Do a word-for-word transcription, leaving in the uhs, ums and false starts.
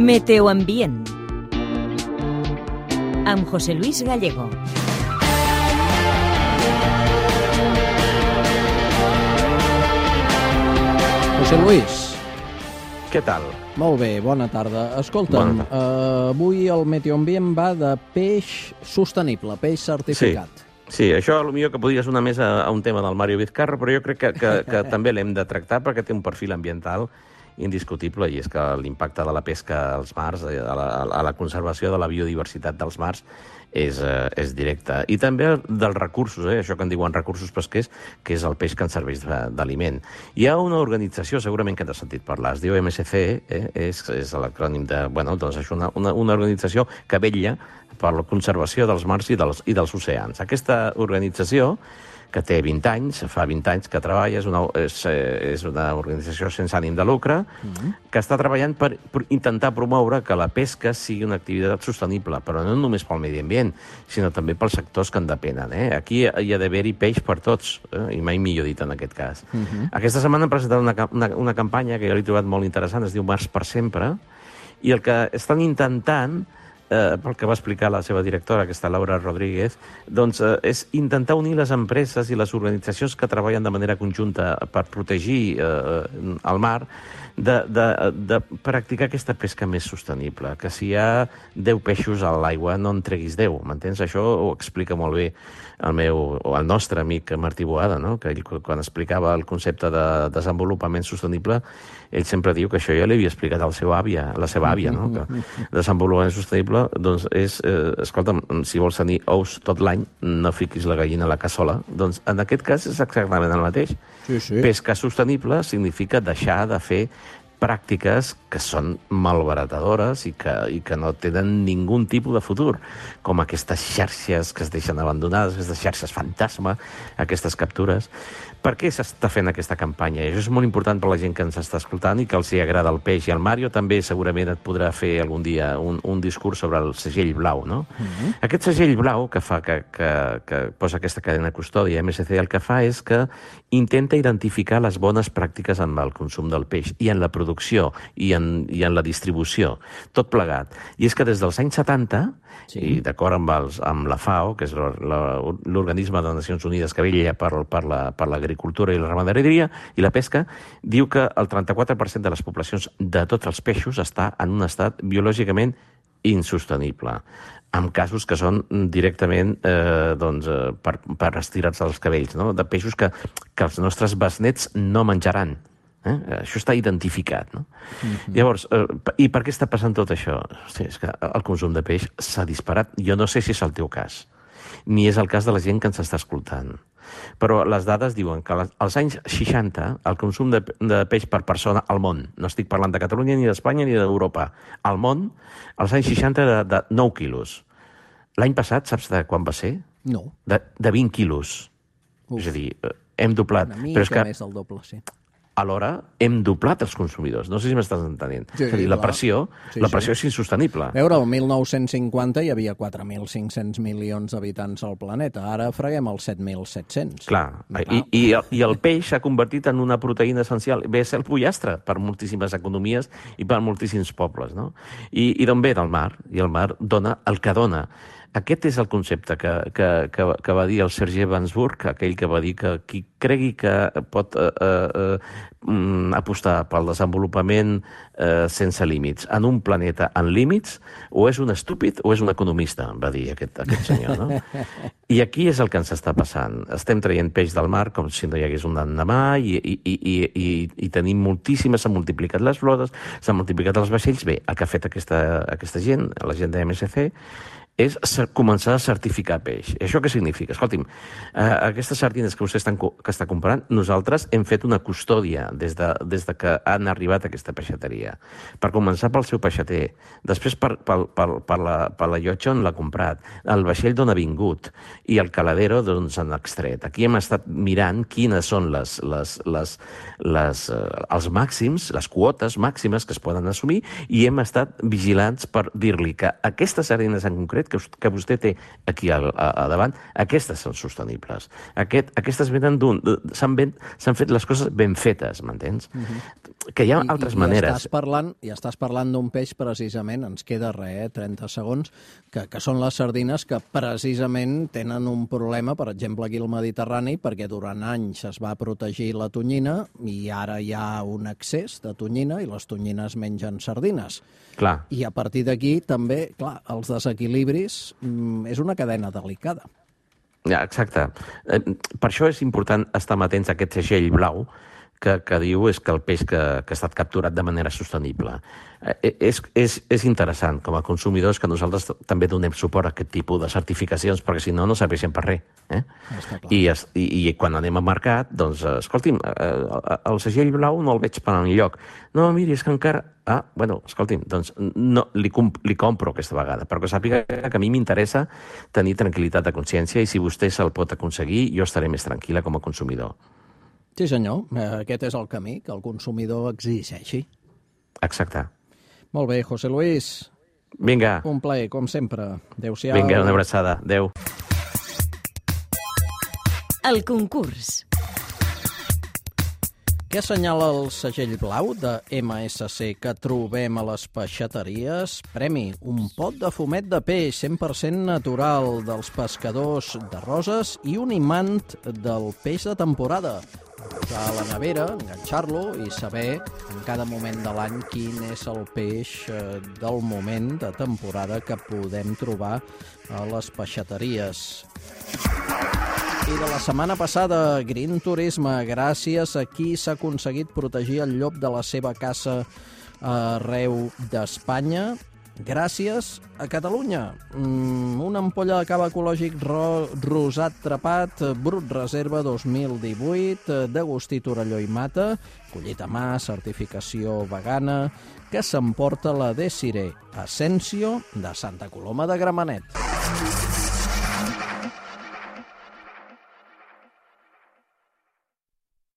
Meteoambient amb José Luis Gallego. José Luis. Què tal? Molt bé, bona tarda. Escolta'm, bona tarda. Uh, avui el Meteoambient va de peix sostenible, peix certificat. Sí, sí, això potser que podria sonar més a, a un tema del Mario Vizcarra, però jo crec que, que, que també l'hem de tractar perquè té un perfil ambiental indiscutible, i és que l'impacte de la pesca als mars, a la, a la conservació de la biodiversitat dels mars, és, eh, és directe. I també dels recursos, eh, això que en diuen recursos pesquers, que és el peix que ens serveix d'aliment. Hi ha una organització, segurament que t'has sentit parlar, es diu M S C, eh, és, és l'acrònim de... Bueno, doncs és una, una, una organització que vetlla per la conservació dels mars i dels, i dels oceans. Aquesta organització, que té vint anys, fa vint anys que treballa, és una, és, és una organització sense ànim de lucre, mm-hmm. que està treballant per, per intentar promoure que la pesca sigui una activitat sostenible, però no només pel medi ambient, sinó també pels sectors que en depenen. Eh? Aquí hi ha d'haver-hi peix per tots, eh? I mai millor dit en aquest cas. Mm-hmm. Aquesta setmana han presentat una, una, una campanya que jo l'he trobat molt interessant, es diu Mars per sempre, i el que estan intentant, Eh, pel que va explicar la seva directora, aquesta Laura Rodríguez, doncs eh, és intentar unir les empreses i les organitzacions que treballen de manera conjunta per protegir eh, el mar, de, de, de practicar aquesta pesca més sostenible, que si hi ha deu peixos a l'aigua no en treguis deu, m'entens? Això ho explica molt bé el meu, o el nostre amic Martí Boada, no? Que ell, quan explicava el concepte de desenvolupament sostenible, ell sempre diu que això ja li havia explicat al seu àvia, la seva àvia, no? Que desenvolupament sostenible, doncs és, eh, escolta'm, si vols tenir ous tot l'any, no fiquis la gallina a la cassola. Doncs en aquest cas és exactament el mateix. Sí, sí. Pesca sostenible significa deixar de fer pràctiques que són malbaratadores i que, i que no tenen ningú tipus de futur, com aquestes xarxes que es deixen abandonades, aquestes xarxes fantasma, aquestes captures. Per què s'està fent aquesta campanya? I això és molt important per la gent que ens està escoltant i que els hi agrada el peix. I el Mario també segurament et podrà fer algun dia un, un discurs sobre el segell blau, no? Mm-hmm. Aquest segell blau que fa que, que, que posa aquesta cadena custòdia, M S C, el que fa és que intenta identificar les bones pràctiques en el consum del peix i en la producció i en, i en la distribució, tot plegat. I és que des dels anys setanta, sí. I d'acord amb, els, amb la FAO, que és l'organisme de Nacions Unides que vetlla per, per, la, per l'agricultura i la ramaderia i la pesca, diu que el trenta-quatre per cent de les poblacions de tots els peixos està en un estat biològicament insostenible, amb casos que són directament eh, doncs, eh, per, per estirar-se els cabells, no? De peixos que, que els nostres besnets no menjaran. Eh? Això està identificat, no? Mm-hmm. Llavors, eh, i per què està passant tot això? Hosti, és que el consum de peix s'ha disparat. Jo no sé si és el teu cas, ni és el cas de la gent que ens està escoltant. Però les dades diuen que als anys seixanta el consum de, de peix per persona al món, no estic parlant de Catalunya, ni d'Espanya, ni d'Europa, al món, als anys seixanta era de nou quilos. L'any passat, saps de quan va ser? No. De, de vint quilos. Uf. És a dir, hem doblat. Una mica però és que, més del doble, sí. Alhora hem doblat els consumidors. No sé si m'estàs entenent. Sí, és a dir, la pressió, sí, la pressió sí. és insostenible. A veure, el mil nou-cents cinquanta hi havia quatre mil cinc-cents milions d'habitants al planeta. Ara freguem els set mil set-cents. Clar, i, i, i el peix s'ha convertit en una proteïna essencial. Ve a ser el pollastre per moltíssimes economies i per moltíssims pobles, no? I, i d'on ve? Del mar. I el mar dona el que dona. Aquest és el concepte que, que, que, que va dir el Serge Gainsbourg, aquell que va dir que qui cregui que pot eh, eh, apostar pel desenvolupament eh, sense límits en un planeta en límits, o és un estúpid o és un economista, va dir aquest, aquest senyor, no? I aquí és el que ens està passant. Estem traient peix del mar com si no hi hagués un demà i, i, i, i, i tenim moltíssimes, s'han multiplicat les flotes, s'han multiplicat els vaixells. Bé, el que ha fet aquesta, aquesta gent, la gent de M S C, és començar a certificar peix. Això què significa? Escolti'm, eh, aquestes sardines que vostè estan, que està comprant, nosaltres hem fet una custòdia des de, des de que han arribat a aquesta peixateria. Per començar pel seu peixater, després per, per, per, per, la, per la llotja on l'ha comprat, el vaixell d'on ha vingut i el caladero d'on s'han extret. Aquí hem estat mirant quines són les, les, les, les, eh, els màxims, les quotes màximes que es poden assumir, i hem estat vigilants per dir-li que aquestes sardines en concret que, que vostè té aquí a, a, a davant, aquestes són sostenibles. Aquest, aquestes venen d'un... S'han fet les coses ben fetes, m'entens? Uh-huh. que hi ha I, altres i, maneres. I estàs parlant, i estàs parlant d'un peix, precisament, ens queda res, eh, trenta segons, que, que són les sardines que precisament tenen un problema, per exemple, aquí al Mediterrani, perquè durant anys es va protegir la tonyina i ara hi ha un excés de tonyina i les tonyines mengen sardines. Clar. I a partir d'aquí també, clar, els desequilibris mm, és una cadena delicada. Ja, exacte. Eh, per això és important estar atents a aquest segell blau que, que diu és que el peix que, que ha estat capturat de manera sostenible. Eh, és, és, és interessant, com a consumidors, que nosaltres també donem suport a aquest tipus de certificacions, perquè si no, no serveixen per res. Eh? I, es, i, I quan anem al mercat, doncs, escolti'm, eh, el segell blau no el veig per enlloc. No, miri, és que encara... Ah, bueno, escolti'm, doncs no, li, li compro aquesta vegada, però que sàpiga que a mi m'interessa tenir tranquil·litat de consciència i si vostè se'l pot aconseguir, jo estaré més tranquil·la com a consumidor. Sí, senyor. Aquest és el camí, que el consumidor exigeixi. Exacte. Molt bé, José Luis. Vinga. Un plaer, com sempre. Adéu-siau. Vinga, una abraçada. Adéu. El concurs. Què assenyala el segell blau de ema esse ce que trobem a les peixateries? Premi, un pot de fumet de peix cent per cent natural dels pescadors de Roses i un imant del peix de temporada. Posar a la nevera, enganxar-lo i saber en cada moment de l'any quin és el peix del moment de temporada que podem trobar a les peixateries. I de la setmana passada, Green Turisme, gràcies a qui s'ha aconseguit protegir el llop de la seva caça arreu d'Espanya, gràcies a Catalunya. Mm, una ampolla de cava ecològic ro rosat trepat, Brut Reserva dos mil divuit, d'Agustí Torelló i Mata, collit a mà, certificació vegana, que s'emporta la Desiree Asensio de Santa Coloma de Gramenet.